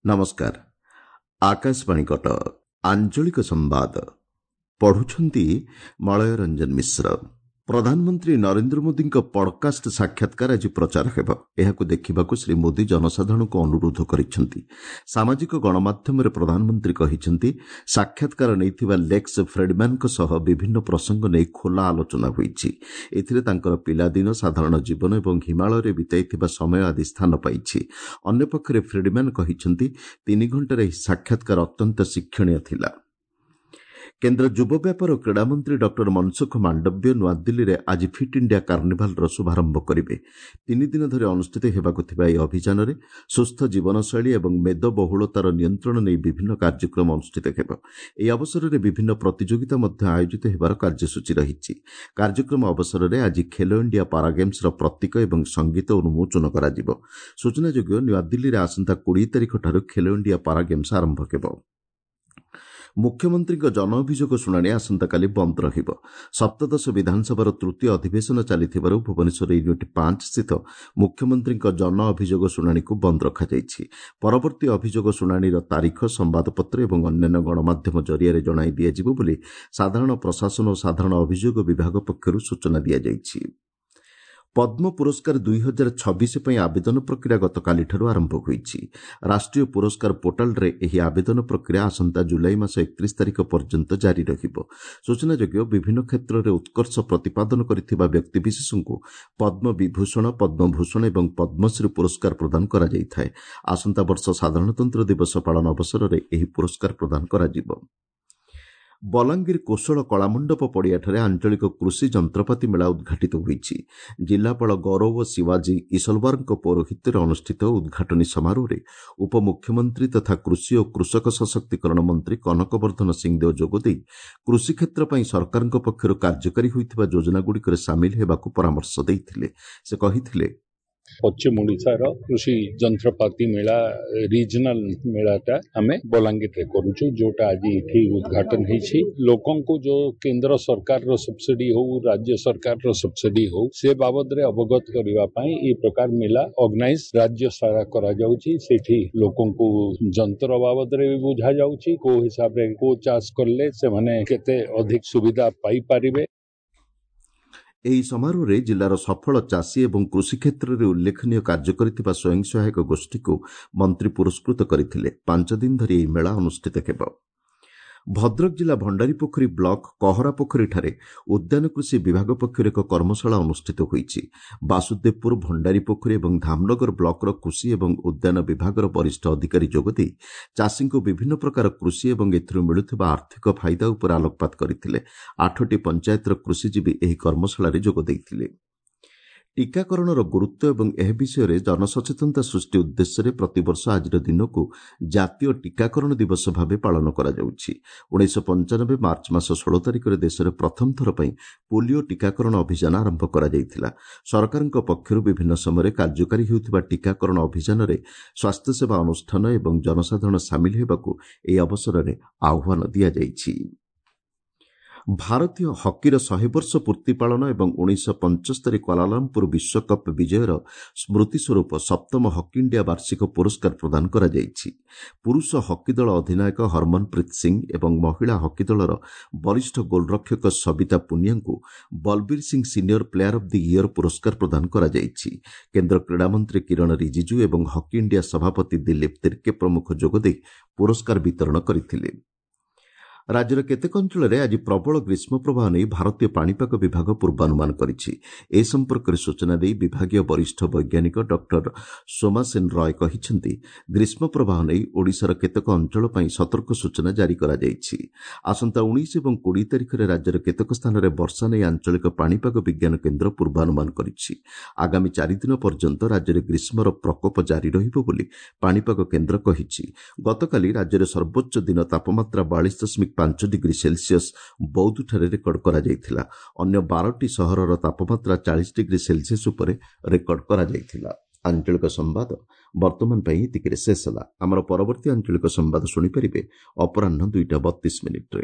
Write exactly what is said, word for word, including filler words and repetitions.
ନମସ୍କାର ଆକାଶବାଣୀ କଟକ ଆଞ୍ଚଳିକ ସମ୍ବାଦ ପଢୁଛନ୍ତି ମଳୟ ରଞ୍ଜନ ମିଶ୍ର ପ୍ରଧାନମନ୍ତ୍ରୀ ନରେନ୍ଦ୍ର ମୋଦିଙ୍କ ପଡକାଷ୍ଟ ସାକ୍ଷାତକାର ଆଜି ପ୍ରଚାର ହେବ ଏହାକୁ ଦେଖିବାକୁ ଶ୍ରୀ ମୋଦି ଜନସାଧାରଣଙ୍କୁ ଅନୁରୋଧ କରିଛନ୍ତି ସାମାଜିକ ଗଣମାଧ୍ୟମରେ ପ୍ରଧାନମନ୍ତ୍ରୀ କହିଛନ୍ତି ସାକ୍ଷାତକାର ନେଇଥିବା ଲେକ୍ସ ଫ୍ରେଡମ୍ୟାନଙ୍କ ସହ ବିଭିନ୍ନ ପ୍ରସଙ୍ଗ ନେଇ ଖୋଲା ଆଲୋଚନା ହୋଇଛି ଏଥିରେ ତାଙ୍କର ପିଲାଦିନ ସାଧାରଣ ଜୀବନ ଏବଂ ହିମାଳୟରେ ବିତାଇଥିବା ସମୟ ଆଦି ସ୍ଥାନ ପାଇଛି ଅନ୍ୟପକ୍ଷରେ ଫ୍ରେଡମ୍ୟାନ କହିଛନ୍ତି ତିନି ଘଣ୍ଟାର ଏହି ସାକ୍ଷାତକାର ଅତ୍ୟନ୍ତ ଶିକ୍ଷଣୀୟ ଥିଲା କେନ୍ଦ୍ର ଯୁବ ବ୍ୟାପାର ଓ କ୍ରୀଡ଼ାମନ୍ତ୍ରୀ ଡକ୍ଟର ମନସୁଖ ମାଣ୍ଡବ୍ୟ ନୂଆଦିଲ୍ଲୀରେ ଆଜି ଫିଟ୍ ଇଣ୍ଡିଆ କାର୍ଣ୍ଣିଭାଲର ଶୁଭାରମ୍ଭ କରିବେ ତିନିଦିନ ଧରି ଅନୁଷ୍ଠିତ ହେବାକୁ ଥିବା ଏହି ଅଭିଯାନରେ ସୁସ୍ଥ ଜୀବନଶୈଳୀ ଏବଂ ମେଦବହୁଳତାର ନିୟନ୍ତ୍ରଣ ନେଇ ବିଭିନ୍ନ କାର୍ଯ୍ୟକ୍ରମ ଅନୁଷ୍ଠିତ ହେବ ଏହି ଅବସରରେ ବିଭିନ୍ନ ପ୍ରତିଯୋଗିତା ମଧ୍ୟ ଆୟୋଜିତ ହେବାର କାର୍ଯ୍ୟସୂଚୀ ରହିଛି କାର୍ଯ୍ୟକ୍ରମ ଅବସରରେ ଆଜି ଖେଲୋ ଇଣ୍ଡିଆ ପାରାଗେମ୍ସର ପ୍ରତୀକ ଏବଂ ସଙ୍ଗୀତ ଉନ୍ମୋଚନ କରାଯିବ ସୂଚନାଯୋଗ୍ୟ ନୂଆଦିଲ୍ଲୀରେ ଆସନ୍ତା କୋଡ଼ିଏ ତାରିଖଠାରୁ ଖେଲୋ ଇଣ୍ଡିଆ ପାରାଗେମ୍ସ ଆରମ୍ଭ ହେବ ମୁଖ୍ୟମନ୍ତ୍ରୀଙ୍କ ଜନ ଅଭିଯୋଗ ଶୁଣାଣି ଆସନ୍ତାକାଲି ବନ୍ଦ ରହିବ ସପ୍ତଦଶ ବିଧାନସଭାର ତୃତୀୟ ଅଧିବେଶନ ଚାଲିଥିବାରୁ ଭୁବନେଶ୍ୱର ୟୁନିଟ୍ ପାଞ୍ଚ ସ୍ଥିତ ମୁଖ୍ୟମନ୍ତ୍ରୀଙ୍କ ଜନ ଅଭିଯୋଗ ଶୁଣାଣିକୁ ବନ୍ଦ ରଖାଯାଇଛି ପରବର୍ତ୍ତୀ ଅଭିଯୋଗ ଶୁଣାଣିର ତାରିଖ ସମ୍ବାଦପତ୍ର ଏବଂ ଅନ୍ୟାନ୍ୟ ଗଣମାଧ୍ୟମ ଜରିଆରେ ଜଣାଇ ଦିଆଯିବ ବୋଲି ସାଧାରଣ ପ୍ରଶାସନ ଓ ସାଧାରଣ ଅଭିଯୋଗ ବିଭାଗ ପକ୍ଷରୁ ସୂଚନା ଦିଆଯାଇଛି ପଦ୍ମ ପୁରସ୍କାର ଦୁଇ ହଜାର ଛବିଶ ପାଇଁ ଆବେଦନ ପ୍ରକ୍ରିୟା ଗତକାଲିଠାରୁ ଆରମ୍ଭ ହୋଇଛି ରାଷ୍ଟ୍ରୀୟ ପୁରସ୍କାର ପୋର୍ଟାଲରେ ଏହି ଆବେଦନ ପ୍ରକ୍ରିୟା ଆସନ୍ତା ଜୁଲାଇ ମାସ ଏକତିରିଶ ତାରିଖ ପର୍ଯ୍ୟନ୍ତ ଜାରି ରହିବ ସୂଚନାଯୋଗ୍ୟ ବିଭିନ୍ନ କ୍ଷେତ୍ରରେ ଉତ୍କର୍ଷ ପ୍ରତିପାଦନ କରିଥିବା ବ୍ୟକ୍ତିବିଶେଷଙ୍କୁ ପଦ୍ମ ବିଭୂଷଣ ପଦ୍ମଭୂଷଣ ଏବଂ ପଦ୍ମଶ୍ରୀ ପୁରସ୍କାର ପ୍ରଦାନ କରାଯାଇଥାଏ ଆସନ୍ତା ବର୍ଷ ସାଧାରଣତନ୍ତ୍ର ଦିବସ ପାଳନ ଅବସରରେ ଏହି ପୁରସ୍କାର ପ୍ରଦାନ କରାଯିବ ବଲାଙ୍ଗୀର କୋଶଳ କଳାମଣ୍ଡପ ପଡ଼ିଆଠାରେ ଆଞ୍ଚଳିକ କୃଷି ଯନ୍ତ୍ରପାତି ମେଳା ଉଦ୍ଘାଟିତ ହୋଇଛି ଜିଲ୍ଲାପାଳ ଗୌରବ ଶିବାଜୀ ଇସଲୱାରଙ୍କ ପୌରୋହିତ୍ୟରେ ଅନୁଷ୍ଠିତ ଉଦ୍ଘାଟନୀ ସମାରୋହରେ ଉପମୁଖ୍ୟମନ୍ତ୍ରୀ ତଥା କୃଷି ଓ କୃଷକ ସଶକ୍ତିକରଣ ମନ୍ତ୍ରୀ କନକ ବର୍ଦ୍ଧନ ସିଂଦେଓ ଯୋଗଦେଇ କୃଷି କ୍ଷେତ୍ର ପାଇଁ ସରକାରଙ୍କ ପକ୍ଷରୁ କାର୍ଯ୍ୟକାରୀ ହୋଇଥିବା ଯୋଜନାଗୁଡ଼ିକରେ ସାମିଲ ହେବାକୁ ପରାମର୍ଶ ଦେଇଥିଲେ ସେ କହିଥିଲେ ପଶ୍ଚିମ ଓଡ଼ିଶାର କୃଷି ଯନ୍ତ୍ରପାତି ମେଳା ରିଜନାଲ ମେଳାଟା ଆମେ ବଲାଙ୍ଗୀରରେ କରୁଛୁ ଯୋଉଟା ଆଜି ଏଠି ଉଦ୍ଘାଟନ ହେଇଛି ଲୋକଙ୍କୁ ଯୋଉ କେନ୍ଦ୍ର ସରକାରର ସବସିଡି ହଉ ରାଜ୍ୟ ସରକାରର ସବସିଡି ହଉ ସେ ବାବଦରେ ଅବଗତ କରିବା ପାଇଁ ଏ ପ୍ରକାର ମେଳା ଅର୍ଗାନାଇଜ ରାଜ୍ୟ ସାରା କରାଯାଉଛି ସେଠି ଲୋକଙ୍କୁ ଯନ୍ତ୍ର ବାବଦରେ ବି ବୁଝାଯାଉଛି କୋଉ ହିସାବରେ କୋଉ ଚାଷ କଲେ ସେମାନେ କେତେ ଅଧିକ ସୁବିଧା ପାଇପାରିବେ ଏହି ସମାରୋହରେ ଜିଲ୍ଲାର ସଫଳ ଚାଷୀ ଏବଂ କୃଷି କ୍ଷେତ୍ରରେ ଉଲ୍ଲେଖନୀୟ କାର୍ଯ୍ୟ କରିଥିବା ସ୍ୱୟଂ ସହାୟକ ଗୋଷ୍ଠୀକୁ ମନ୍ତ୍ରୀ ପୁରସ୍କୃତ କରିଥିଲେ ପାଞ୍ଚ ଦିନ ଧରି ଏହି ମେଳା ଅନୁଷ୍ଠିତ ହେବ ଭଦ୍ରକ ଜିଲ୍ଲା ଭଣ୍ଡାରୀପୋଖରୀ ବ୍ଲକ କହରାପୋଖରୀଠାରେ ଉଦ୍ୟାନ କୃଷି ବିଭାଗ ପକ୍ଷରୁ ଏକ କର୍ମଶାଳା ଅନୁଷ୍ଠିତ ହୋଇଛି ବାସୁଦେବପୁର ଭଣ୍ଡାରୀପୋଖରୀ ଏବଂ ଧାମନଗର ବ୍ଲକର କୃଷି ଏବଂ ଉଦ୍ୟାନ ବିଭାଗର ବରିଷ୍ଠ ଅଧିକାରୀ ଯୋଗଦେଇ ଚାଷୀଙ୍କୁ ବିଭିନ୍ନ ପ୍ରକାର କୃଷି ଏବଂ ଏଥିରୁ ମିଳୁଥିବା ଆର୍ଥିକ ଫାଇଦା ଉପରେ ଆଲୋକପାତ କରିଥିଲେ ଆଠଟି ପଞ୍ଚାୟତର କୃଷିଜୀବୀ ଏହି କର୍ମଶାଳାରେ ଯୋଗ ଦେଇଥିଲେ ଟିକାକରଣର ଗୁରୁତ୍ୱ ଏବଂ ଏହା ବିଷୟରେ ଜନସଚେତନତା ସୃଷ୍ଟି ଉଦ୍ଦେଶ୍ୟରେ ପ୍ରତିବର୍ଷ ଆଜିର ଦିନକୁ ଜାତୀୟ ଟିକାକରଣ ଦିବସ ଭାବେ ପାଳନ କରାଯାଉଛି ଉଣେଇଶହ ପଞ୍ଚାନବେ ମାର୍ଚ୍ଚ ମାସ ଷୋହଳ ତାରିଖରେ ଦେଶରେ ପ୍ରଥମ ଥର ପାଇଁ ପୋଲିଓ ଟିକାକରଣ ଅଭିଯାନ ଆରମ୍ଭ କରାଯାଇଥିଲା ସରକାରଙ୍କ ପକ୍ଷରୁ ବିଭିନ୍ନ ସମୟରେ କାର୍ଯ୍ୟକାରୀ ହେଉଥିବା ଟିକାକରଣ ଅଭିଯାନରେ ସ୍ୱାସ୍ଥ୍ୟସେବା ଅନୁଷ୍ଠାନ ଏବଂ ଜନସାଧାରଣ ସାମିଲ ହେବାକୁ ଏହି ଅବସରରେ ଆହ୍ୱାନ ଦିଆଯାଇଛି ଭାରତୀୟ ହକିର ଶହେ ବର୍ଷ ପୂର୍ତ୍ତି ପାଳନ ଏବଂ ଉଣେଇଶହ ପଞ୍ଚସ୍ତରୀ କ୍ୱାଲାଲମ୍ପୁର ବିଶ୍ୱକପ୍ ବିଜୟର ସ୍ମୃତି ସ୍ୱରୂପ ସପ୍ତମ ହକି ଇଣ୍ଡିଆ ବାର୍ଷିକ ପୁରସ୍କାର ପ୍ରଦାନ କରାଯାଇଛି ପୁରୁଷ ହକି ଦଳ ଅଧିନାୟକ ହରମନପ୍ରୀତ ସିଂ ଏବଂ ମହିଳା ହକି ଦଳର ବରିଷ୍ଠ ଗୋଲରକ୍ଷକ Sabita ପୁନିଆଙ୍କୁ Balbir Singh senior player of the year ପୁରସ୍କାର ପ୍ରଦାନ କରାଯାଇଛି କେନ୍ଦ୍ର କ୍ରୀଡ଼ାମନ୍ତ୍ରୀ କିରଣ ରିଜିଜୁ ଏବଂ ହକି ଇଣ୍ଡିଆ ସଭାପତି ଦିଲ୍ଲୀପ ତିର୍କେ ପ୍ରମୁଖ ଯୋଗଦେଇ ପୁରସ୍କାର ବିତରଣ କରିଥିଲେ ରାଜ୍ୟର କେତେକ ଅଞ୍ଚଳରେ ଆଜି ପ୍ରବଳ ଗ୍ରୀଷ୍ମ ପ୍ରବାହ ନେଇ ଭାରତୀୟ ପାଣିପାଗ ବିଭାଗ ପୂର୍ବାନୁମାନ କରିଛି ଏ ସମ୍ପର୍କରେ ସୂଚନା ଦେଇ ବିଭାଗୀୟ ବରିଷ୍ଠ ବୈଜ୍ଞାନିକ ଡକ୍ଟର ସୋମାସେନ ରୟ କହିଛନ୍ତି ଗ୍ରୀଷ୍ମ ପ୍ରବାହ ନେଇ ଓଡ଼ିଶାର କେତେକ ଅଞ୍ଚଳ ପାଇଁ ସତର୍କ ସୂଚନା ଜାରି କରାଯାଇଛି ଆସନ୍ତା ଉଣେଇଶ ଏବଂ କୋଡ଼ିଏ ତାରିଖରେ ରାଜ୍ୟର କେତେକ ସ୍ଥାନରେ ବର୍ଷା ନେଇ ଆଞ୍ଚଳିକ ପାଣିପାଗ ବିଜ୍ଞାନ କେନ୍ଦ୍ର ପୂର୍ବାନୁମାନ କରିଛି ଆଗାମୀ ଚାରିଦିନ ପର୍ଯ୍ୟନ୍ତ ରାଜ୍ୟରେ ଗ୍ରୀଷ୍ମର ପ୍ରକୋପ ଜାରି ରହିବ ବୋଲି ପାଣିପାଗ କେନ୍ଦ୍ର କହିଛି ଗତକାଲି ରାଜ୍ୟରେ ସର୍ବୋଚ୍ଚ ଦିନ ତାପମାତ୍ରା ବାଳିଶ ଦଶମିକ ପାଞ୍ଚ ଡିଗ୍ରୀ ସେଲସିୟସ୍ ବୌଦ୍ଧଠାରେ ରେକର୍ଡ କରାଯାଇଥିଲା ଅନ୍ୟ ବାରଟି ସହରର ତାପମାତ୍ରା ଚାଳିଶ ଡିଗ୍ରୀ ସେଲସିୟସ୍ ଉପରେ ରେକର୍ଡ କରାଯାଇଥିଲା ଆଞ୍ଚଳିକ ସମ୍ବାଦ ବର୍ତ୍ତମାନ ପାଇଁ ଏତିକିରେ ଶେଷ ହେଲା ଆମର ପରବର୍ତ୍ତୀ ଆଞ୍ଚଳିକ ସମ୍ବାଦ ଶୁଣିପାରିବେ ଅପରାହ୍ନ ଦୁଇଟା ବତିଶ ମିନିଟ୍ରେ